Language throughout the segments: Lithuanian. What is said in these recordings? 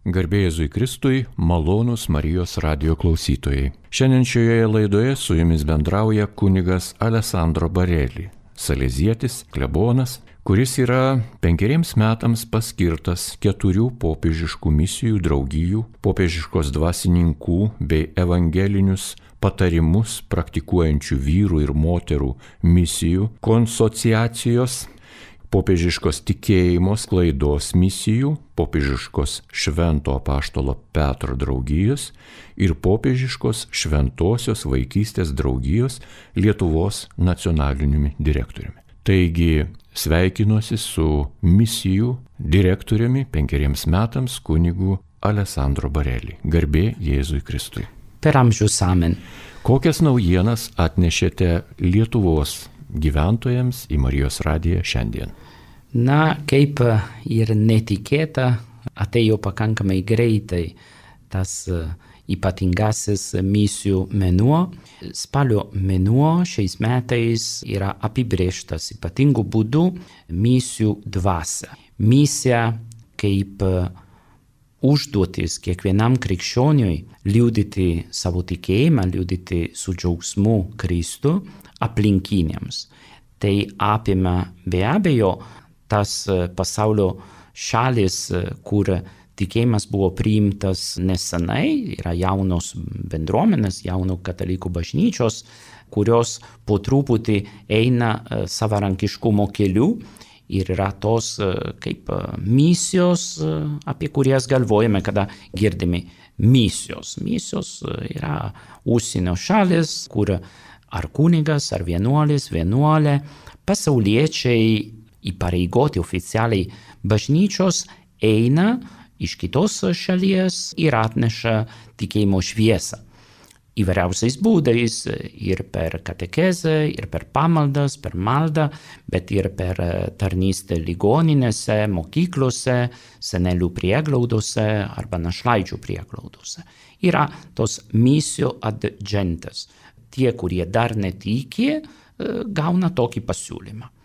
Garbė Jėzui Kristui, malonūs Marijos radijo klausytojai. Šiandien šioje laidoje su jumis bendrauja kunigas Alessandro Bareli, salezietis, klebonas, kuris yra 5 metams paskirtas 4 popiežiškų misijų draugijų, popiežiškos dvasininkų bei evangelinius patarimus praktikuojančių vyrų ir moterų misijų konsociacijos, popiežiškos tikėjimo sklaidos misijų, popiežiškos Švento apaštalo Petro draugijos ir popiežiškos Šventosios vaikystės draugijos Lietuvos nacionaliniumi direktoriumi. Taigi sveikinuosi su misijų direktoriumi 5 metams kunigu Alessandro Bareli. Garbė Jėzui Kristui. Per amžius amen. Kokias naujienas atnešėte Lietuvos gyventojams į Marijos radiją šiandien? Na, kaip ir netikėta, atėjo pakankamai greitai tas ypatingasis misijų mėnuo. Spalio mėnuo šiais metais yra apibrėžtas ypatingų būdų misijų dvasia. Misija kaip užduotis kiekvienam krikščioniui liudyti savo tikėjimą, liudyti su džiaugsmu Kristų aplinkiniams. Tai apima be abejo tas pasaulio šalis, kur tikėjimas buvo priimtas nesenai, yra jaunos bendruomenės, jaunų katalikų bažnyčios, kurios po truputį eina savarankiškumo keliu ir yra tos kaip misijos, apie kurias galvojame, kada girdime misijos. Misijos yra užsienio šalis, kur ar kunigas, ar vienuolė, pasauliečiai įpareigoti oficialiai bažnyčios eina iš kitos šalies ir atneša tikėjimo šviesą. Įvairiausiais būdais ir per katekezę, ir per pamaldas, per maldą, bet ir per tarnystę ligoninėse, mokyklose, senelių prieglaudose arba našlaičių prieglaudose. Yra tos misijų adjunctas. Tie, kurie dar netiki, gauna tokį pasiūlymą.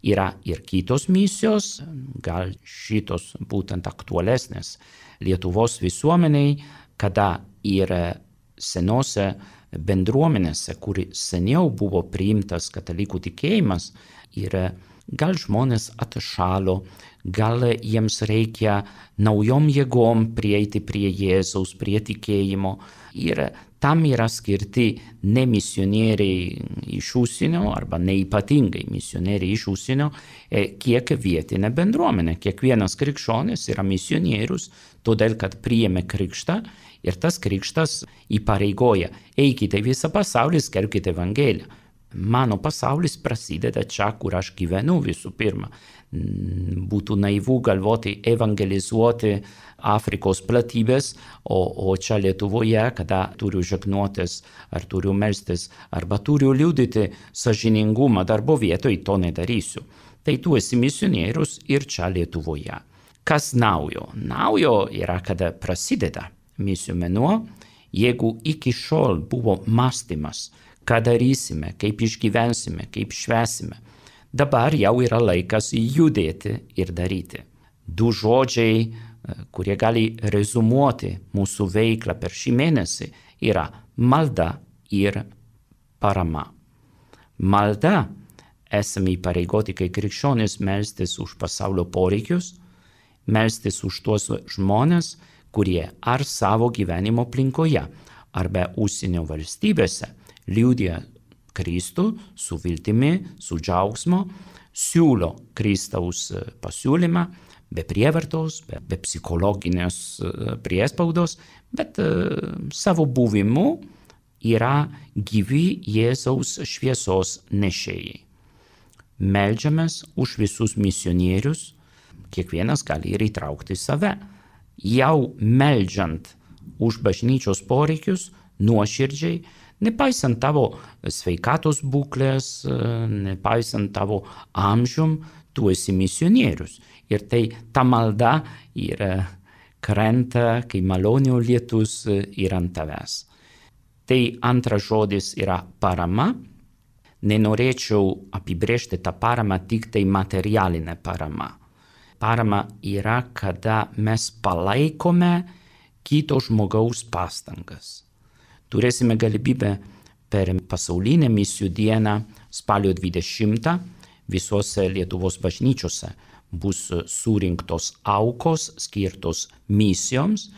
Yra ir kitos misijos, gal šitos būtent aktualesnės Lietuvos visuomeniai, kada ir senose bendruomenėse, kur seniau buvo priimtas katalikų tikėjimas, ir gal žmonės atšalo, gal jiems reikia naujom jėgom prieiti prie Jėzaus, prie tikėjimo. Ir tam yra skirti ne misionieriai iš užsienio arba neypatingai misionieriai iš užsienio, kiek vietinė bendruomenė. Kiekvienas krikščionis yra misionierius, todėl kad priėmė krikštą ir tas krikštas įpareigoja: eikite visą pasaulį, skelbkite Evangeliją. Mano pasaulis prasideda čia, kur aš gyvenu visų pirma. Būtų naivu galvoti evangelizuoti Afrikos platybės, o čia Lietuvoje, kada turiu žegnotis, ar turiu melstis, arba turiu liudyti sąžiningumą darbo vietoj, to nedarysiu. Tai tu esi misionierius ir čia Lietuvoje. Kas naujo? Naujo yra, kada prasideda misijų mėnuo. Jeigu iki šiol buvo mąstymas, ką darysime, kaip išgyvensime, kaip švęsime, dabar jau yra laikas judėti ir daryti. 2 žodžiai, kurie gali rezumuoti mūsų veiklą per šį mėnesį, yra malda ir parama. Malda, esame įpareigoti kaip krikščionys melstis už pasaulio poreikius, melstis už tuos žmonės, kurie ar savo gyvenimo aplinkoje, arba užsienio valstybėse liudija Kristų su viltimi, su džiaugsmo, siūlo Kristaus pasiūlymą, be prievartos, be psichologinės priespaudos, bet savo buvimu yra gyvi Jėzaus šviesos nešėjai. Meldžiamės už visus misionierius, kiekvienas gali ir įtraukti save. Jau meldžiant už bažnyčios poreikius, nuoširdžiai, nepaisant tavo sveikatos būklės, nepaisant tavo amžium, tu esi misionierius. Ir tai ta malda ir krenta, kai malonių lietus yra ant tavęs. Tai antras žodis yra parama. Nenorėčiau apibrėžti tą paramą tik tai materialinę paramą. Parama yra, kada mes palaikome kito žmogaus pastangas. Turėsime galimybę per pasaulinę misijų dieną spalio 20 visose Lietuvos bažnyčiose bus surinktos aukos skirtos misijoms.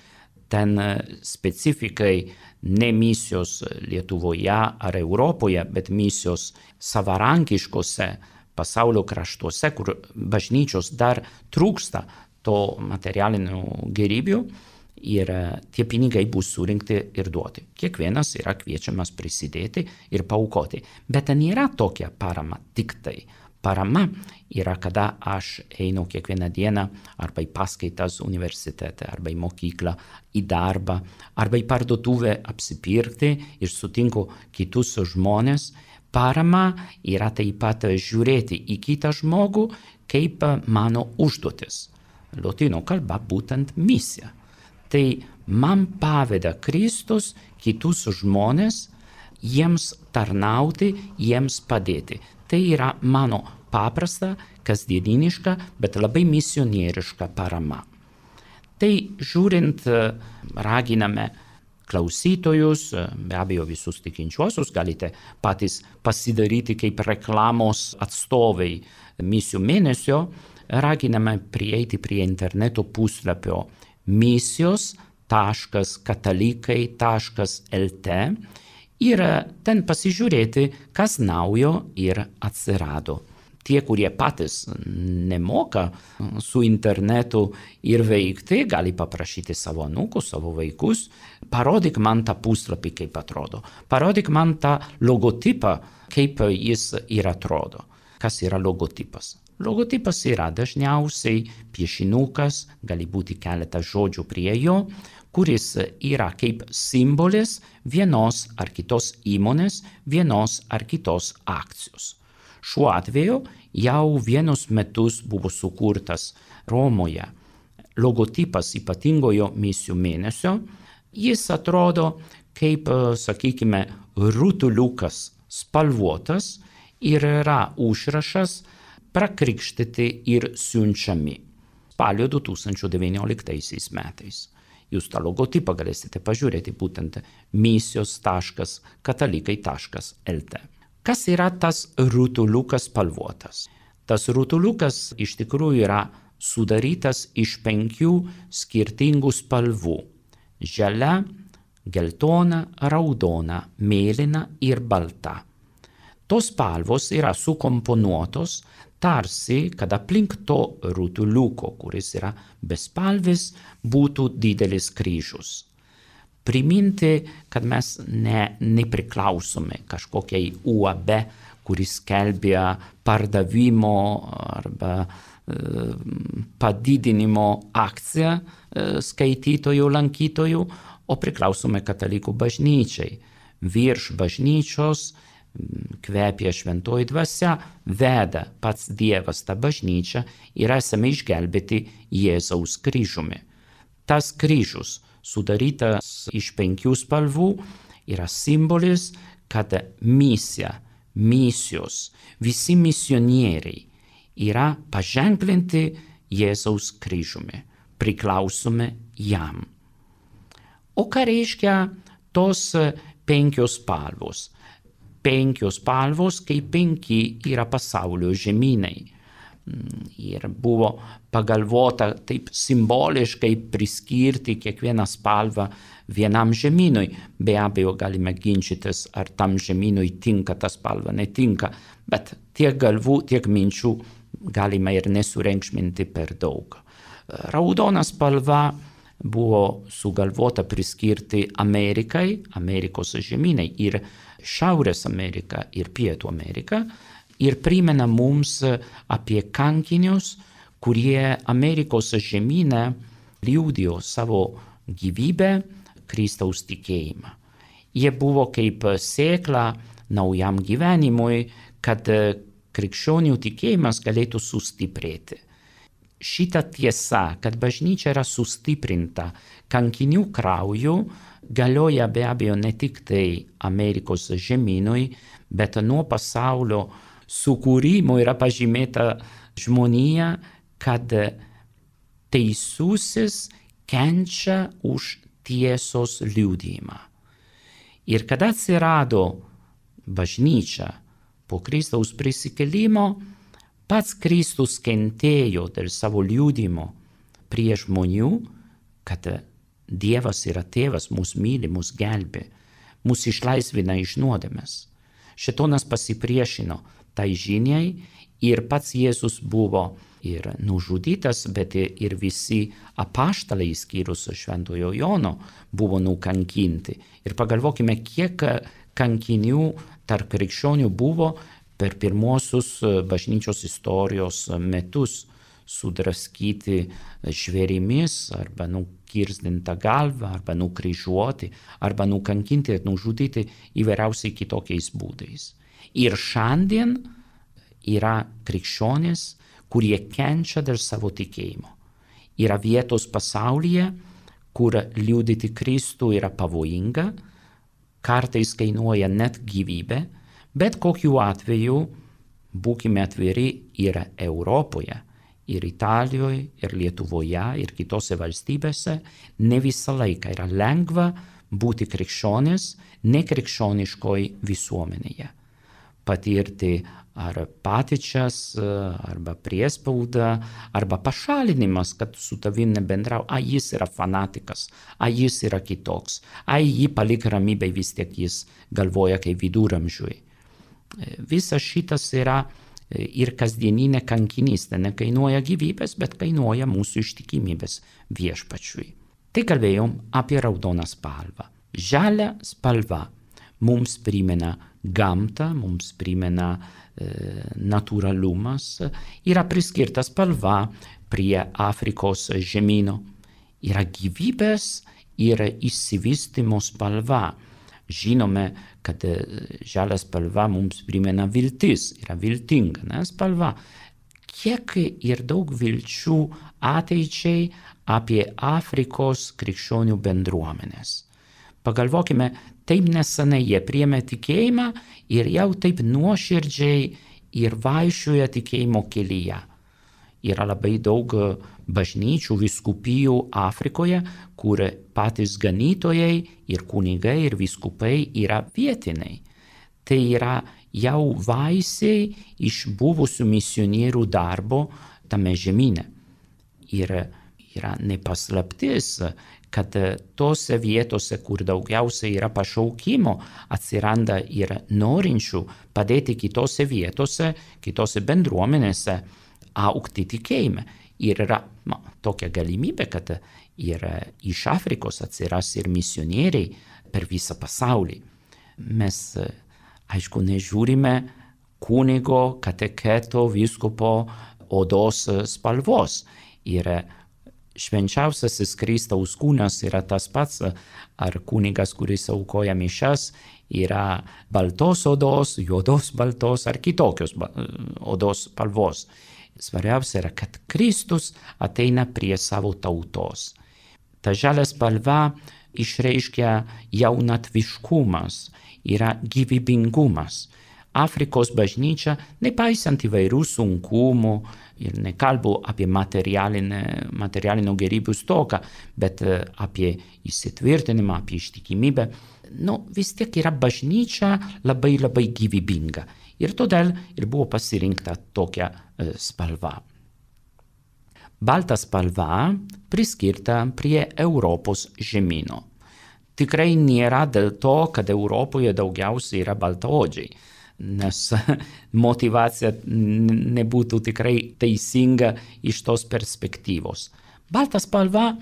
Ten specifikai ne misijos Lietuvoje ar Europoje, bet misijos savarankiškose pasaulio kraštuose, kur bažnyčios dar trūksta to materialinių gerybių, ir tie pinigai bus surinkti ir duoti. Kiekvienas yra kviečiamas prisidėti ir paaukoti. Bet ten nėra tokia parama tik tai. Parama yra, kada aš einu kiekvieną dieną arba į paskaitas universitete, arba į mokyklą, į darbą, arba į parduotuvę apsipirkti ir sutinku kitus žmonės. Parama yra taip pat žiūrėti į kitą žmogų kaip mano užduotis. Lotynų kalba būtent misija. Tai man paveda Kristus kitus žmonės, jiems tarnauti, jiems padėti. Tai yra mano paprasta, kasdieniška, bet labai misionieriška parama. Tai žiūrint, raginame klausytojus, be abejo visus tikinčiuosius, galite patys pasidaryti kaip reklamos atstovai misijų mėnesio, raginame prieiti prie interneto puslapio misijos.katalikai.lt ir ten pasižiūrėti, kas naujo ir atsirado. Tie, kurie patys nemoka su internetu ir veikti, gali paprašyti savo anūkus, savo vaikus, parodyk man tą puslapį, kaip atrodo. Parodyk man tą logotipą, kaip jis ir atrodo. Kas yra logotipas? Logotipas yra dažniausiai piešinukas, gali būti keletas žodžių prie jo, kuris yra kaip simbolis vienos ar kitos įmonės, vienos ar kitos akcijos. Šiuo atveju jau vienus metus buvo sukurtas Romoje logotipas ypatingojo misijų mėnesio. Jis atrodo kaip, sakykime, rutuliukas spalvotas ir yra užrašas prakrikštyti ir siunčiami. Spalio 2019 metais. Jūs tą logotipą galėsite pažiūrėti būtent misijos.katalikai.lt. Kas yra tas rutuliukas spalvotas? Tas rutuliukas iš tikrųjų yra sudarytas iš 5 skirtingų spalvų. Žalia, geltona, raudona, mėlyna ir balta. Tos spalvos yra sukomponuotos tarsi, kad aplink to rutuliuko, kuris yra bespalvis, būtų didelis kryžius. Priminti, kad mes nepriklausome kažkokiai UAB, kuris skelbia pardavimo arba padidinimo akciją skaitytojų, lankytojų, o priklausome katalikų bažnyčiai. Virš bažnyčios kvepia šventoji dvasia, veda pats Dievas tą bažnyčią ir esame išgelbėti Jėzaus kryžiumi. Tas kryžius, sudarytas iš 5 spalvų, yra simbolis, kad misijos, visi misionieriai yra paženklinti Jėzaus kryžiumi, priklausome jam. O ką reiškia tos 5 spalvos? 5 spalvos, kaip 5 yra pasaulio žemynai. Ir buvo pagalvota taip simboliškai priskirti kiekvieną spalvą vienam žemynui. Be abejo, galime ginčytis, ar tam žemynui tinka ta spalva, netinka, bet tiek galvų, tiek minčių galime ir nesureikšminti per daug. Raudona spalva buvo sugalvota priskirti Amerikai, Amerikos žemynai ir Šiaurės Amerika ir Pietų Amerika, ir primena mums apie kankinius, kurie Amerikos žemyne liudijo savo gyvybę, Kristaus tikėjimą. Jie buvo kaip sėkla naujam gyvenimui, kad krikščionių tikėjimas galėtų sustiprėti. Šita tiesa, kad bažnyčia yra sustiprinta kankinių krauju, galioja be abejo ne tik tai Amerikos žemynui, bet nuo pasaulio sukūrimo yra pažymėta žmonija, kad teisusis kenčia už tiesos liudijimą. Ir kada atsirado bažnyčia po Kristaus prisikėlimo, pats Kristus kentėjo dėl savo liudijimo prie žmonių, kad Dievas yra tėvas, mus myli, mus gelbė, mus išlaisvina iš nuodėmės. Šėtonas pasipriešino tai žiniai ir pats Jėzus buvo ir nužudytas, bet ir visi apaštalai, išskyrus Šventojo Jono, buvo nukankinti. Ir pagalvokime, kiek kankinių tarp krikščionių buvo per pirmosius bažnyčios istorijos metus, sudraskyti žvėrimis, arba nukirzdinta galva, arba nukryžiuoti, arba nukankinti ir nužudyti įvairiausiai kitokiais būdais. Ir šiandien yra krikščionys, kurie kenčia dėl savo tikėjimo. Yra vietos pasaulyje, kur liudyti Kristų yra pavojinga, kartais kainuoja net gyvybę, bet kokiu atveju, būkime atviri, yra Europoje, ir Italijoje, ir Lietuvoje, ir kitose valstybėse, ne visą laiką yra lengva būti krikščionis nekrikščioniškoj visuomenėje. Patirti ar patyčias, arba priespaudą, arba pašalinimas, kad su tavim nebendrau, jis yra fanatikas, jis yra kitoks, jį palik ramybėj, vis tiek jis galvoja kaip viduramžiui. Visas šitas yra ir kasdieninė kankinystė, nekainuoja gyvybės, bet kainuoja mūsų ištikimybės viešpačiui. Tai kalbėjom apie raudoną spalvą. Žalia spalva mums primena gamtą, mums primena natūralumas, yra priskirta spalva prie Afrikos žemyno. Yra gyvybės ir išsivystymo spalva. Žinome, kad žalia spalva mums primena viltis, yra viltinga spalva. Kiek ir daug vilčių ateičiai apie Afrikos krikščionių bendruomenės. Pagalvokime, taip nesenai jie priėmė tikėjimą ir jau taip nuoširdžiai ir vaikščioja tikėjimo kelyje. Yra labai daug bažnyčių, vyskupijų Afrikoje, kur patys ganytojai ir kunigai ir vyskupai yra vietiniai. Tai yra jau vaisiai iš buvusių misionierių darbo tame žemyne. Ir yra nepaslaptis, kad tose vietose, kur daugiausiai yra pašaukimo, atsiranda ir norinčių padėti kitose vietose, kitose bendruomenėse augti tikėjime. Ir yra tokia galimybė, kad ir iš Afrikos atsiras ir misionieriai per visą pasaulį. Mes, aišku, nežiūrime kunigo, kateketo, vyskupo odos spalvos. Ir švenčiausiasis Kristaus kūnas yra tas pats, ar kunigas, kuris aukoja mišias, yra baltos odos, juodos baltos ar kitokios odos spalvos. Svarbiausia yra, kad Kristus ateina prie savo tautos. Ta žalia spalva išreiškia jaunatviškumas, yra gyvybingumas. Afrikos bažnyčia, nepaisant įvairių sunkumų, ir nekalbu apie materialinio gėrybių stoką, bet apie įsitvirtinimą, apie ištikimybę, vis tiek yra bažnyčia labai labai gyvybinga. Ir todėl ir buvo pasirinkta tokia spalva. Balta spalva priskirta prie Europos žemyno. Tikrai nėra dėl to, kad Europoje daugiausiai yra baltaodžiai, nes motyvacija nebūtų tikrai teisinga iš tos perspektyvos. Balta spalva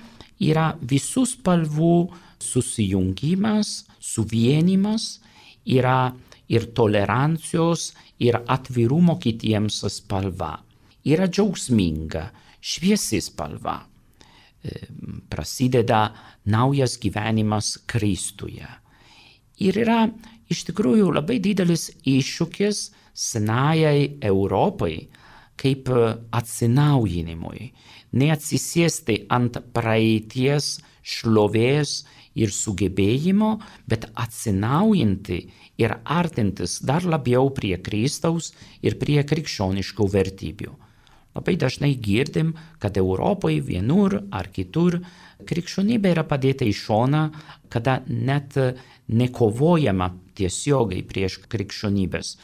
yra visų spalvų susijungimas, suvienimas, yra ir tolerancijos, ir atvirumo kitiems spalva. Yra džiaugsminga, šviesi spalva. Prasideda naujas gyvenimas Kristuje. Ir yra iš tikrųjų labai didelis iššūkis senajai Europai kaip atsinaujinimui. Neatsisėsti ant praeities šlovės ir sugebėjimo, bet atsinaujinti ir artintis dar labiau prie Kristaus ir prie krikščioniškų vertybių. Labai dažnai girdim, kad Europoje vienur ar kitur krikščionybė yra padėta į šoną, kada net nekovojama tiesiogiai prieš krikščionybės.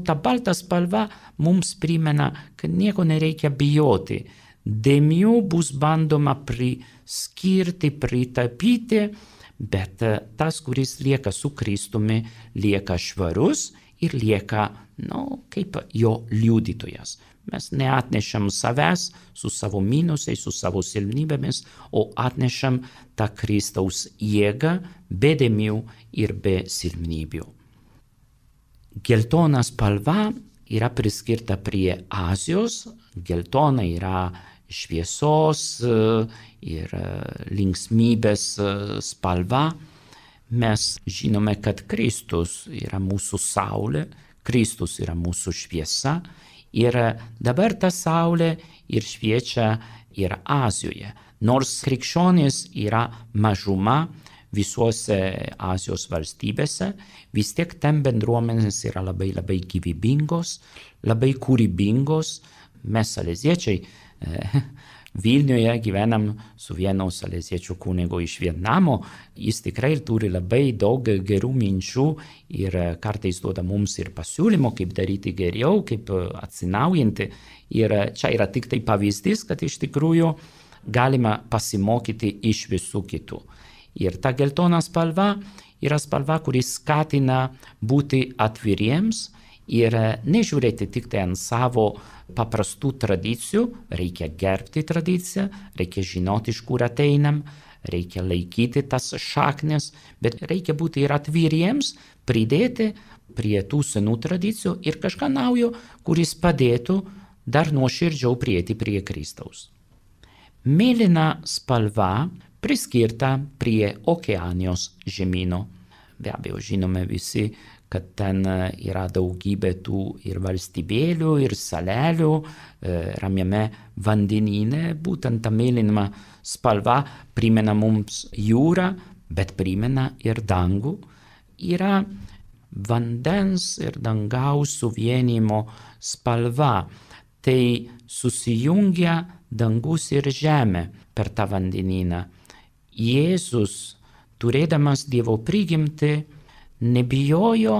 Ta balta spalva mums primena, kad nieko nereikia bijoti. Dėmių bus bandoma priskirti, pritapyti, bet tas, kuris lieka su Kristumi, lieka švarus ir lieka, kaip jo liudytojas. Mes neatnešam savęs su savo minusais, su savo silpnybėmis, o atnešam tą Kristaus jėgą be dėmių ir be silpnybių. Geltona spalva yra priskirta prie Azijos. Geltona yra šviesos ir linksmybės spalva. Mes žinome, kad Kristus yra mūsų saulė, Kristus yra mūsų šviesa. Ir dabar ta saulė ir šviečia ir Azijoje. Nors krikščionys yra mažuma visuose Azijos valstybėse, vis tiek ten bendruomenės yra labai gyvybingos, labai kūrybingos. Mes saleziečiai Vilniuje gyvenam su vienu saleziečių kunigu iš Vietnamo. Jis tikrai turi labai daug gerų minčių ir kartais duoda mums ir pasiūlymų, kaip daryti geriau, kaip atsinaujinti. Ir čia yra tik tai pavyzdys, kad iš tikrųjų galima pasimokyti iš visų kitų. Ir ta geltona spalva yra spalva, kuris skatina būti atviriems ir nežiūrėti tik tai ant savo paprastų tradicijų. Reikia gerbti tradiciją, reikia žinoti, iš kur ateinam, reikia laikyti tas šaknis, bet reikia būti ir atviriems, pridėti prie tų senų tradicijų ir kažką naujo, kuris padėtų dar nuoširdžiau prieiti prie Kristaus. Mėlyna spalva priskirta prie Okeanijos žemyno. Be abejo, žinome visi, kad ten yra daugybė tų ir valstybėlių, ir salelių ramiame vandenyne. Būtent ta mėlyna spalva primena mums jūrą, bet primena ir dangų. Yra vandens ir dangaus suvienimo spalva. Tai susijungia dangus ir žemė per tą vandenyną. Jėzus, turėdamas Dievo prigimtį, nebijojo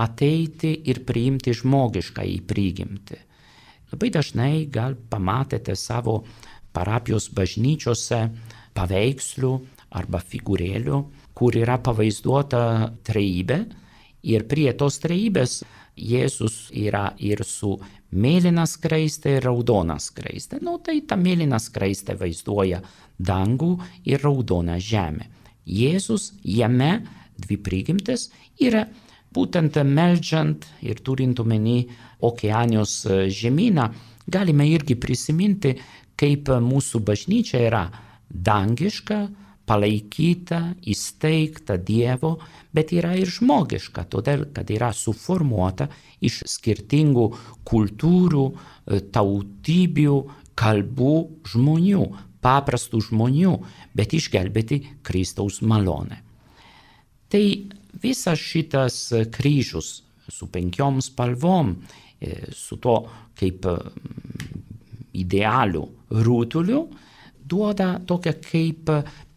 ateiti ir priimti žmogiškąjį prigimtį. Labai dažnai gal pamatėte savo parapijos bažnyčiose paveikslių arba figūrėlių, kur yra pavaizduota trejybė ir prie tos trejybės Jėzus yra ir su mėlyna skraiste ir raudona skraiste. Tai ta mėlyna skraiste vaizduoja dangų ir raudoną žemę. Jėzus jame dvi prigimtis yra būtent meldžiant ir turint omeny Okeanijos žemyną, galime irgi prisiminti, kaip mūsų bažnyčia yra dangiška, palaikyta, įsteigta Dievo, bet yra ir žmogiška, todėl kad yra suformuota iš skirtingų kultūrų, tautybių, kalbų žmonių, paprastų žmonių, bet išgelbėti Kristaus malonę. Tai visas šitas kryžius su 5 spalvom, su to kaip idealiu rutuliu, duoda tokia kaip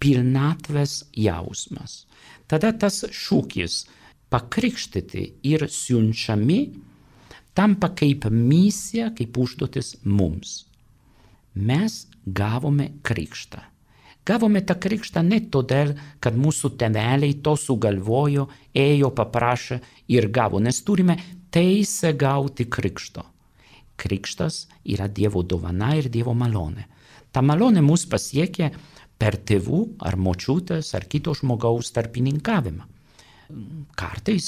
pilnatvės jausmas. Tada tas šūkis pakrikštyti ir siunčiami tampa kaip misija, kaip užduotis mums. Mes gavome krikštą. Gavome tą krikštą ne todėl, kad mūsų tėveliai to sugalvojo, ėjo, paprašė ir gavo, nes turime teisę gauti krikšto. Krikštas yra Dievo dovana ir Dievo malonė. Ta malonė mus pasiekia per tėvų ar močiutės ar kito žmogaus tarpininkavimą. Kartais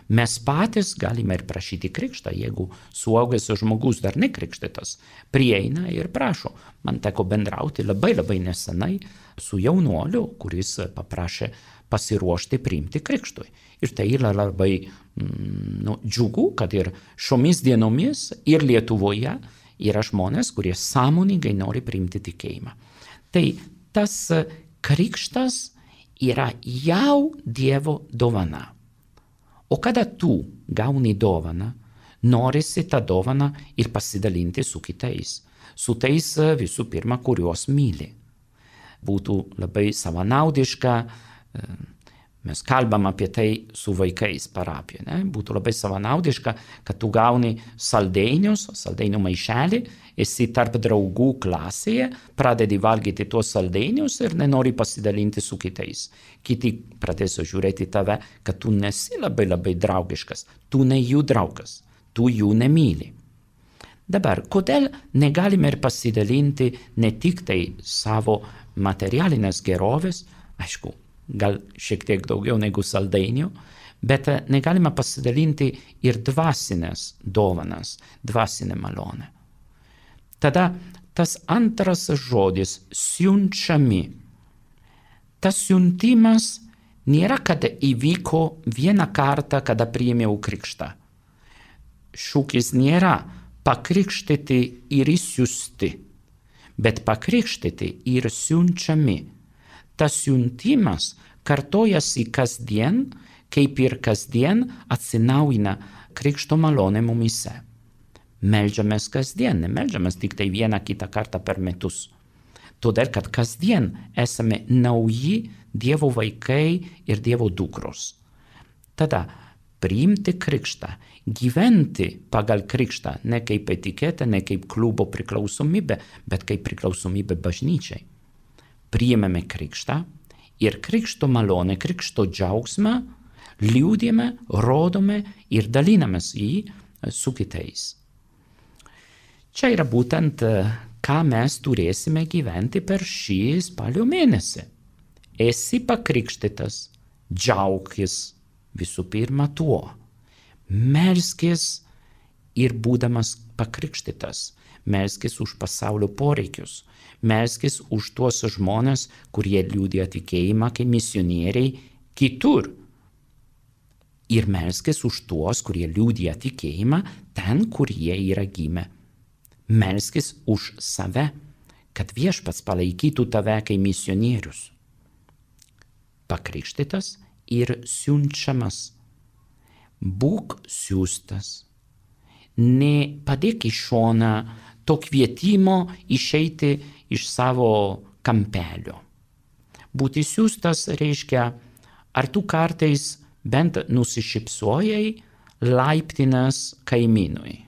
mes patys galime ir prašyti krikštą, jeigu suaugęs žmogus dar nekrikštytas prieina ir prašo. Man teko bendrauti labai nesenai su jaunuoliu, kuris paprašė pasiruošti priimti krikštui. Ir tai yra labai džiugu, kad ir šiomis dienomis ir Lietuvoje yra žmonės, kurie sąmoningai nori priimti tikėjimą. Tai tas krikštas yra jau Dievo dovana. O kada tu gauni dovaną, norisi tą dovaną ir pasidalinti su kitais. su tais visų pirma, kuriuos myli. Būtų labai savanaudiška, mes kalbam apie tai su vaikais parapijoje, ne? Būtų labai savanaudiška, kad tu gauni saldainių maišelį, esi tarp draugų klasėje, pradedi valgyti tuos saldainius ir nenori pasidalinti su kitais. Kiti pradės žiūrėti tave, kad tu nesi labai draugiškas, tu ne jų draugas, tu jų nemyli. Dabar, kodėl negalime ir pasidalinti ne tik tai savo materialinės gerovės, aišku, gal šiek tiek daugiau negu saldainių, bet negalime pasidalinti ir dvasinės dovanas, dvasinę malonę. Tada tas antras žodis siunčiami. Tas siuntimas nėra, kad įvyko vieną kartą, kada priėmiau krikštą. Šūkis nėra pakrikštyti ir išsiųsti, bet pakrikštyti ir siunčiami. Tas siuntimas kartojasi kasdien, kaip ir kasdien atsinaujina krikšto malonė mumyse. Meldžiamės kasdien, nemeldžiamės tik tai vieną kitą kartą per metus. Todėl, kad kasdien esame nauji Dievo vaikai ir Dievo dukros. Tada priimti krikštą, gyventi pagal krikštą, ne kaip etiketę, ne kaip klubo priklausomybę, bet kaip priklausomybę bažnyčiai. Priėmėme krikštą ir krikšto malonę, krikšto džiaugsmą liūdime, rodome ir dalinamės jį su kitais. Čia yra būtent, ką mes turėsime gyventi per šį spalio mėnesį. Esi pakrikštytas, džiaukis visų pirma tuo. Melskis ir būdamas pakrikštytas, melskis už pasaulio poreikius. Melskis už tuos žmonės, kurie liudija tikėjimą kaip misionieriai kitur. Ir melskis už tuos, kurie liudija tikėjimą ten, kur jie yra gimę. Melskis už save, kad Viešpats palaikytų tave kaip misionierius. Pakrikštytas ir siunčiamas. Būk siųstas. Nepadėk į šoną to kvietimo išeiti iš savo kampelio. Būti siųstas reiškia, ar tu kartais bent nusišypsojai laiptinės kaimynui.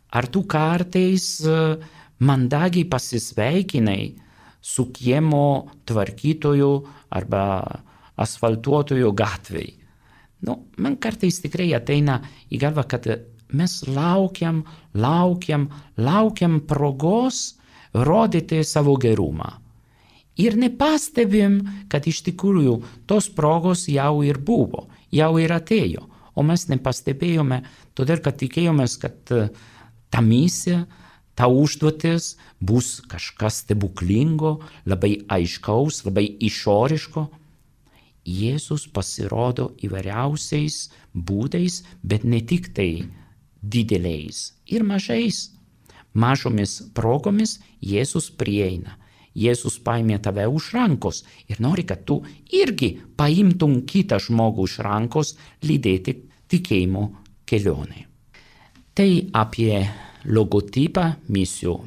Ar tu kartais mandagiai pasisveikinai su kiemo tvarkytoju arba asfaltuotoju gatvėj. Man kartais tikrai ateina į galvą, kad mes laukiam progos rodyti savo gerumą. Ir nepastebim, kad iš tikrųjų tos progos jau ir buvo, jau ir atėjo, o mes nepastebėjome, todėl kad tikėjomės, kad ta misija, ta užduotis bus kažkas stebuklingo, labai aiškaus, labai išoriško. Jėzus pasirodo įvairiausiais būdais, bet ne tik tai dideliais ir mažais. Mažomis progomis Jėzus prieina. Jėzus paėmė tave už rankos ir nori, kad tu irgi paimtum kitą žmogų už rankos lydėti tikėjimo kelionę. Tai apie logotipą misijų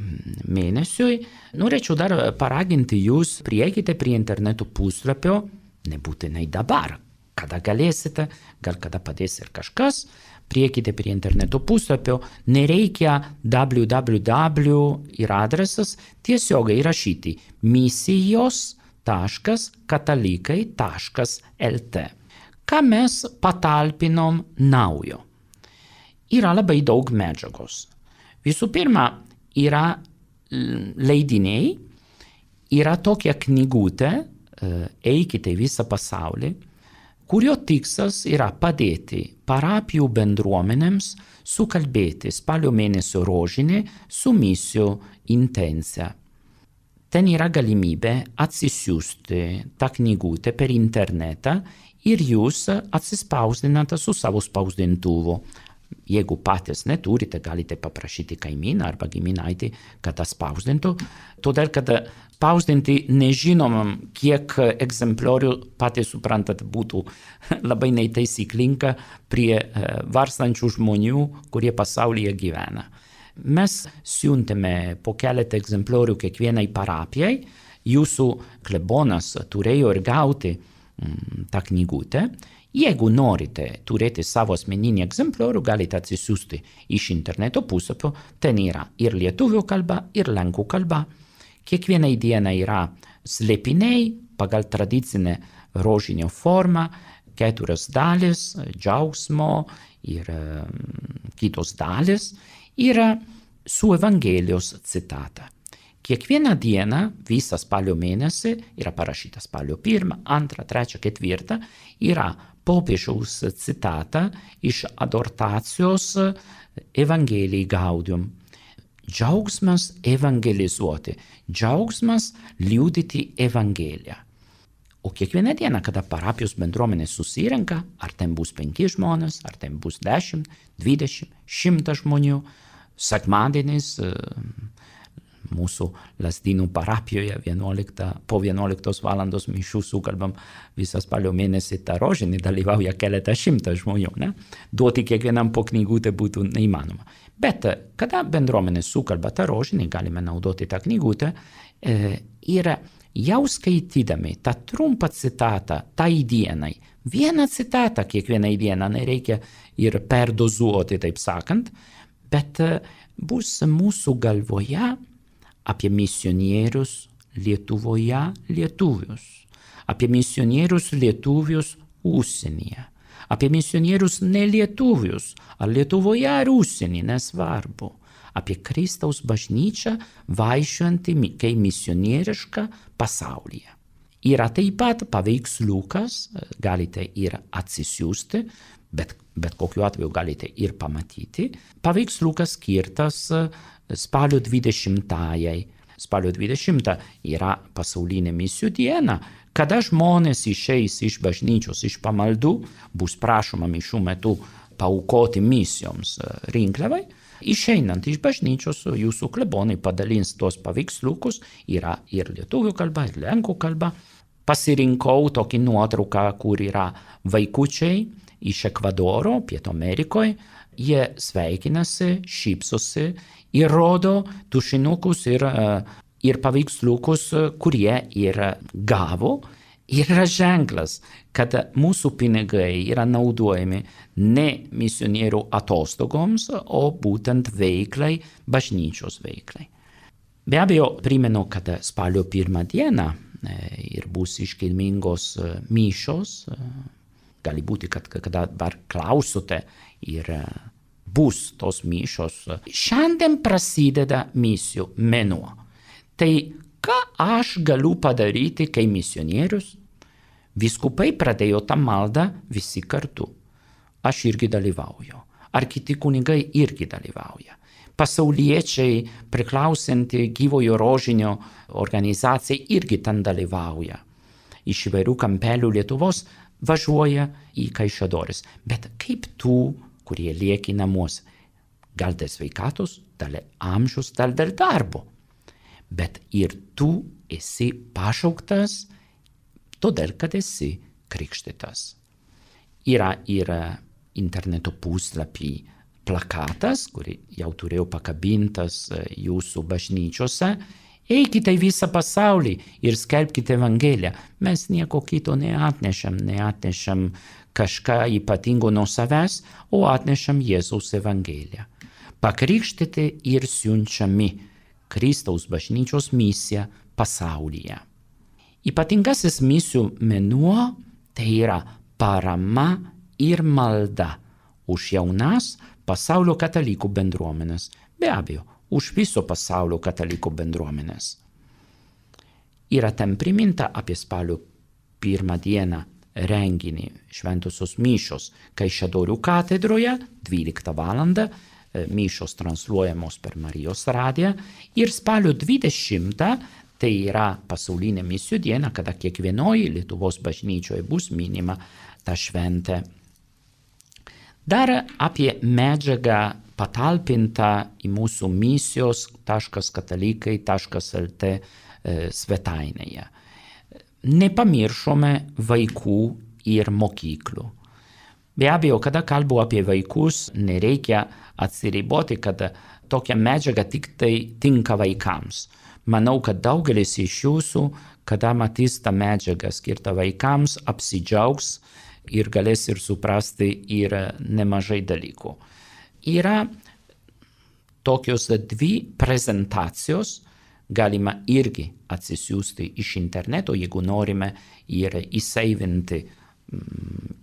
mėnesiui. Norėčiau dar paraginti jūs, prieikite prie interneto puslapio, nebūtinai dabar, kada galėsite, gal kada padės ir kažkas, priekite prie interneto puslapio, nereikia www ir adresas, tiesiogiai rašyti misijos.katalikai.lt. Ką mes patalpinom naujo? Yra labai daug medžiagos. Visų pirma, yra leidiniai, yra tokia knygutė, eikite į visą pasaulį, kurio tikslas yra padėti parapijų bendruomenėms sukalbėti spalio mėnesio rožinį su misijų intencija. Ten yra galimybė atsisiųsti tą knygutę per internetą ir jūs atsispausdinate su savo spausdintuvu. Jeigu patys neturite, galite paprašyti kaimyną arba giminaitį, kad spausdintų, todėl kad spausdinti nežinomam, kiek egzempliorių, patys suprantat, būtų labai neteisyklinga prie varstančių žmonių, kurie pasaulyje gyvena. Mes siuntėme po keletą egzempliorių kiekvienai parapijai. Jūsų klebonas turėjo ir gauti tą knygutę. Jeigu norite turėti savo asmeninį egzempliorių, galite atsisiųsti iš interneto puslapio. Ten yra ir lietuvių kalba, ir lenkų kalba. Kiekvienai dienai yra slėpiniai pagal tradicinę rožinio formą, 4 dalis, džiaugsmo ir kitos dalis, yra su Evangelijos citata. Kiekvieną dieną, visą spalio mėnesį, yra parašyta spalio 1, 2, 3, 4, yra popiežiaus citata iš adhortacijos Evangelijai Gaudium. Džiaugsmas evangelizuoti, džiaugsmas liudyti Evangeliją. O kiekvieną dieną, kada parapijos bendruomenė susirenka, ar ten bus 5 žmonės, ar ten bus 10, 20, 100 žmonių, sekmadienis mūsų Lazdynų parapijoje po 11 valandos mišių sukalbam visą spalio mėnesį tą rožinį, dalyvauja keletą 100 žmonių. Ne? Duoti kiekvienam po knygutę būtų neįmanoma. Bet kada bendruomenė sukalba tą rožinį, galime naudoti tą knygutę ir jau skaitydami tą trumpą citatą tai dienai, vieną citatą kiekvienai dieną, nereikia ir perdozuoti, taip sakant, bet bus mūsų galvoje apie misionierius Lietuvoje lietuvius, apie misionierius lietuvius užsienyje, apie misionierius nelietuvius, ar Lietuvoje ar užsienyje, nesvarbu, apie Kristaus bažnyčią vaikščiojantį kaip misionierišką pasaulyje. Yra taip pat paveiksliukas, galite ir atsisiųsti, bet kokiu atveju galite ir pamatyti, paveiksliukas skirtas spalio 20-ajai. Spalio 20 yra pasaulinė misijų diena, kada žmonės išeis iš bažnyčios, iš pamaldų, bus prašoma mišių metu paaukoti misijoms rinkliavai. Išeinant iš bažnyčios, jūsų klebonai padalins tuos paveiksliukus, yra ir lietuvių kalba, ir lenkų kalba. Pasirinkau tokį nuotrauką, kur yra vaikučiai iš Ekvadoro, Pietų Amerikoje. Jie sveikinasi, šypsosi ir rodo tušinukus ir paveiksliukus, kurie ir gavo. Ir yra ženklas, kad mūsų pinigai yra naudojami ne misionierių atostogoms, o būtent veiklai, bažnyčios veiklai. Be abejo, primenu, kad spalio 1 dieną ir bus iškilmingos mišios. Gali būti, kad dabar klausote ir bus tos mišios. Šiandien prasideda misijų mėnuo. Tai ką aš galiu padaryti kaip misionierius? Vyskupai pradėjo tą maldą visi kartu. Aš irgi dalyvauju. Ar kiti kunigai irgi dalyvauja. Pasauliečiai priklausanti gyvojo rožinio organizacijai irgi ten dalyvauja. Iš įvairių kampelių Lietuvos važiuoja į Kaišiadoris. Bet kaip tų, kurie lieki namuose? Gal dėl sveikatos, dėl amžiaus, dėl darbo. Bet ir tu esi pašauktas, todėl kad esi krikštytas. Yra ir interneto puslapį plakatas, kurį jau turėjau pakabintas jūsų bažnyčiose. Eikite į visą pasaulį ir skelbkite Evangeliją. Mes nieko kito neatnešam kažką ypatingo nuo savęs, o atnešam Jėzaus Evangeliją. Pakrikštyti ir siunčiami Kristaus bažnyčios misija pasaulyje. Ypatingasis misijų mėnuo tai yra parama ir malda už jaunas pasaulio katalikų bendruomenės. Be abejo, už viso pasaulio katalikų bendruomenės. Yra ten priminta apie spalio 1 dieną renginį šventosios mišios Kaišiadorių katedroje 12 valandą, mišios transliuojamos per Marijos radiją, ir spalio 20 tai yra pasaulinė misijų diena, kada kiekvienoje Lietuvos bažnyčioje bus minima ta šventė. Dar apie medžiagą patalpinta į mūsų misijos.katalikai.lt svetainėje. Nepamiršome vaikų ir mokyklų. Be abejo, kada kalbu apie vaikus, nereikia atsiriboti, kad tokia medžiaga tik tai tinka vaikams. Manau, kad daugelis iš jūsų, kada matys tą medžiagą skirtą vaikams, apsidžiaugs ir galės ir suprasti ir nemažai dalykų. Yra tokios 2 prezentacijos, galima irgi atsisiųsti iš interneto, jeigu norime ir įseivinti,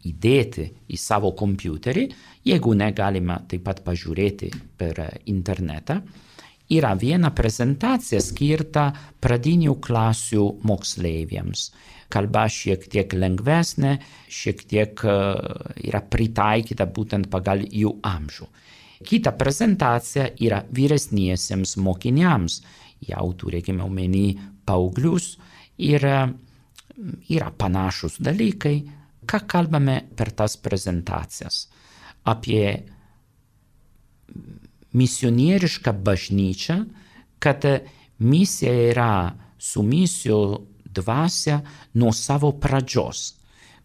įdėti į savo kompiuterį, jeigu negalima taip pat pažiūrėti per internetą. Yra viena prezentacija skirta pradinių klasių moksleiviams. Kalba šiek tiek lengvesnė, šiek tiek yra pritaikyta būtent pagal jų amžių. Kita prezentacija yra vyresniesiems mokiniams, jau turėkime omeny paauglius, ir yra panašus dalykai. Ką kalbame per tas prezentacijas? Apie misionierišką bažnyčią, kad misija yra su misijų dvasia nuo savo pradžios,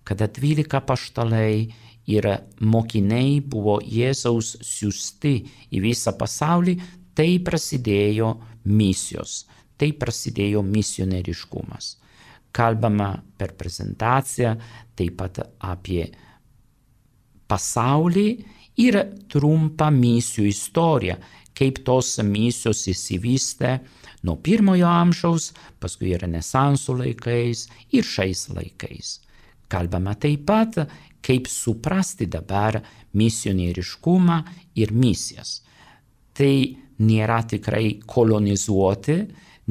kada 12 apaštalai ir mokiniai buvo Jėzaus siųsti į visą pasaulį, tai prasidėjo misijos, tai prasidėjo misionieriškumas. Kalbama per prezentaciją taip pat apie pasaulį ir trumpą misijų istoriją, kaip tos misijos įsivystė nuo 1 amžiaus, paskui Renesanso laikais ir šiais laikais. Kalbama taip pat, kaip suprasti dabar misionieriškumą ir misijas. Tai nėra tikrai kolonizuoti,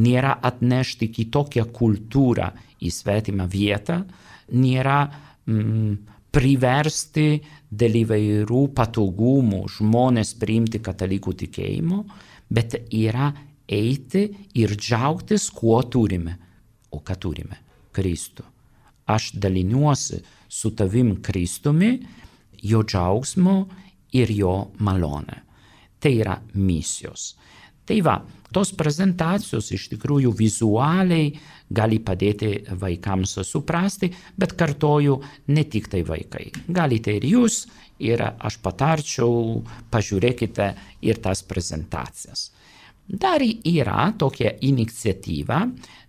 nėra atnešti kitokią kultūrą į svetimą vietą, nėra priversti dėl įvairių patogumų žmonės priimti katalikų tikėjimo, bet yra eiti ir džiaugtis, kuo turime. O ką turime? Kristų. Aš daliniuosi su tavim Kristumi, jo džiaugsmu ir jo malone. Tai yra misijos. Tai va, tos prezentacijos iš tikrųjų vizualiai gali padėti vaikams suprasti, bet kartoju, ne tik tai vaikai. Galite ir jūs, ir aš patarčiau, pažiūrėkite ir tas prezentacijas. Dar yra tokia iniciatyva,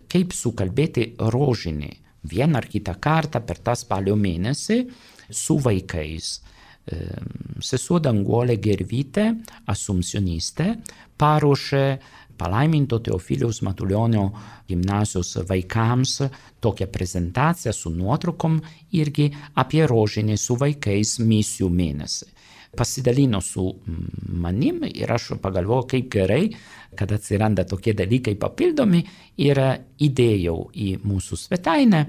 kaip sukalbėti rožinį vieną ar kitą kartą per tą spalio mėnesį su vaikais. Sesuo Danguolė Gervytė, asumpcionistė, paruošė palaiminto Teofiliaus Matulionio gimnazijos vaikams tokią prezentaciją su nuotraukom irgi apie rožinį su vaikais misijų mėnesį. Pasidalino su manim ir aš pagalvojau, kaip gerai, kad atsiranda tokie dalykai papildomi ir įdėjau į mūsų svetainę,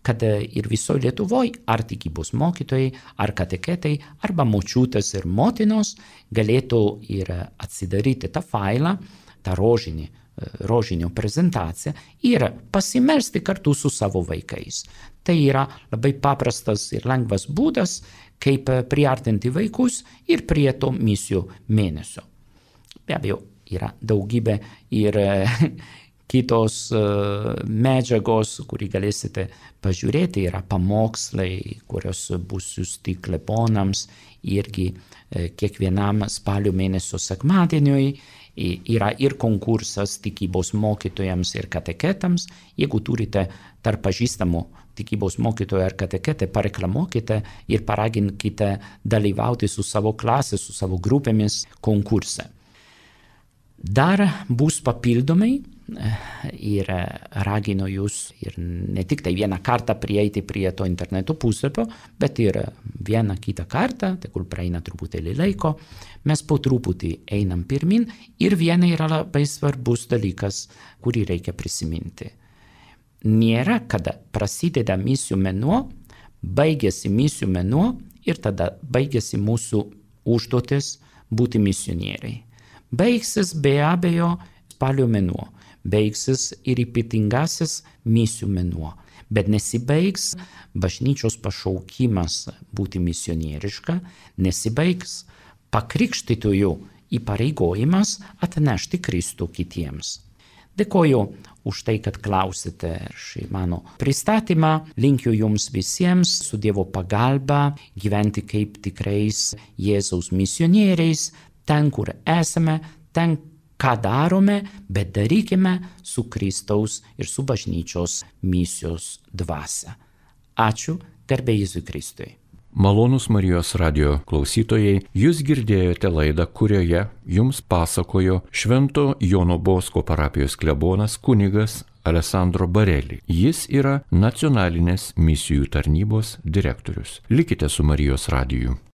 kad ir visoje Lietuvoje ar tikybos mokytojai, ar kateketai, arba močiutės ir motinos galėtų ir atsidaryti tą failą, tą rožinio prezentaciją ir pasimelsti kartu su savo vaikais. Tai yra labai paprastas ir lengvas būdas, kaip priartinti vaikus ir prie to misijų mėnesio. Be abejo, yra daugybė ir kitos medžiagos, kurį galėsite pažiūrėti, yra pamokslai, kurios bus siųsti klebonams irgi kiekvienam spalio mėnesio sekmadieniui. Yra ir konkursas tikybos mokytojams ir kateketams. Jeigu turite tarp pažįstamų tikybos mokytojų ar kateketę, pareklamuokite ir paraginkite dalyvauti su savo klasė, su savo grupėmis konkurse. Dar bus papildomai ir raginu jūs ir ne tik tai vieną kartą prieiti prie to interneto puslapio, bet ir vieną kitą kartą, tegul praeina truputėlį laiko, mes po truputį einam pirmin ir viena yra labai svarbus dalykas, kurį reikia prisiminti. Nėra, kada prasideda misijų mėnuo, baigėsi misijų mėnuo ir tada baigėsi mūsų užduotis būti misionieriai. Baigsis be abejo spalio mėnuo, baigsis ir ypatingasis misijų mėnuo, bet nesibaigs bažnyčios pašaukimas būti misionieriška, nesibaigs pakrikštytųjų įpareigojimas atnešti Kristų kitiems. Dėkoju už tai, kad klausėte šį mano pristatymą. Linkiu jums visiems su Dievo pagalba gyventi kaip tikrais Jėzaus misionieriais, ten, kur esame, ten, ką darome, bet darykime su Kristaus ir su bažnyčios misijos dvasia. Ačiū, garbė Jėzui Kristui. Malonūs Marijos radio klausytojai, jūs girdėjote laidą, kurioje jums pasakojo Švento Jono Bosko parapijos klebonas kunigas Alessandro Bareli. Jis yra nacionalinės misijų tarnybos direktorius. Likite su Marijos radiju.